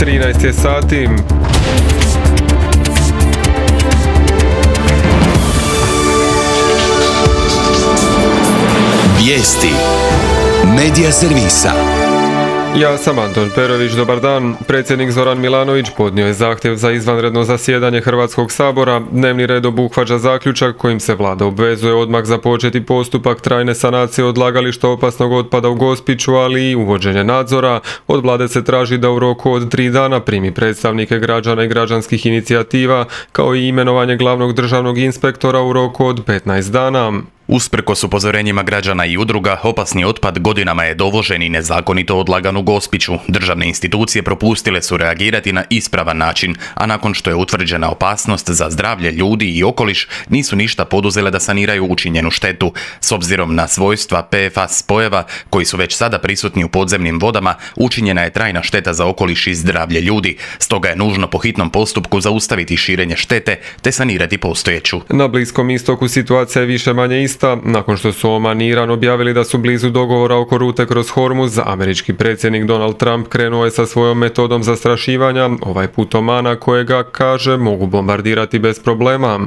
13 je sati. Vijesti Medija servisa. Ja sam Anton Perović, dobar dan. Predsjednik Zoran Milanović podnio je zahtjev za izvanredno zasjedanje Hrvatskog sabora. Dnevni red obuhvaća zaključak kojim se vlada obvezuje odmah započeti postupak trajne sanacije odlagališta opasnog otpada u Gospiću, ali i uvođenje nadzora. Od vlade se traži da u roku od 3 dana primi predstavnike građana i građanskih inicijativa, kao i imenovanje glavnog državnog inspektora u roku od 15 dana. Usprkos upozorenjima građana i udruga, opasni otpad godinama je dovožen i nezakonito odlagan u Gospiću. Državne institucije propustile su reagirati na ispravan način, a nakon što je utvrđena opasnost za zdravlje ljudi i okoliš, nisu ništa poduzele da saniraju učinjenu štetu. S obzirom na svojstva PFAS spojeva, koji su već sada prisutni u podzemnim vodama, učinjena je trajna šteta za okoliš i zdravlje ljudi. Stoga je nužno po hitnom postupku zaustaviti širenje štete te sanirati postojeću. Na Bliskom istoku situacija je više manje ista. Nakon što su Oman i Iran objavili da su blizu dogovora oko rute kroz Hormuz, američki predsjednik Donald Trump krenuo je sa svojom metodom zastrašivanja, ovaj put Omana, kojega, kaže, mogu bombardirati bez problema.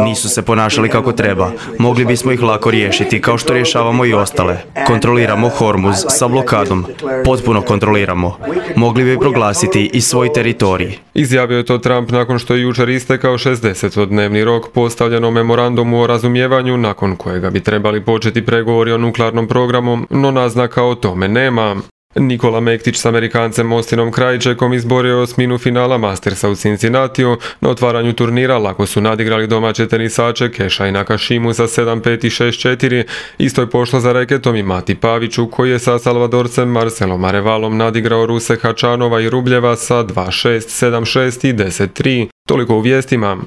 Nisu se ponašali kako treba. Mogli bismo ih lako riješiti, kao što rješavamo i ostale. Kontroliramo Hormuz sa blokadom. Potpuno kontroliramo. Mogli bi proglasiti i svoj teritorij. Izjavio je to Trump nakon što je jučer istekao 60-dnevni rok postavljeno memorandumu o razumijevanju, nakon kojega bi trebali početi pregovori o nuklearnom programu, no naznaka o tome nema. Nikola Mektić s Amerikancem Austinom Krajčekom izborio je osminu finala Mastersa u Cincinnatiju. Na otvaranju turnira lako su nadigrali domaće tenisače Keša i Nakashimu sa 7-5 i 6-4. Isto je pošlo za reketom i Mati Paviću, koji je sa Salvadorcem Marcelom Arevalom nadigrao Ruse Hačanova i Rubljeva sa 2-6, 7-6 i 10-3. Toliko u vijestima.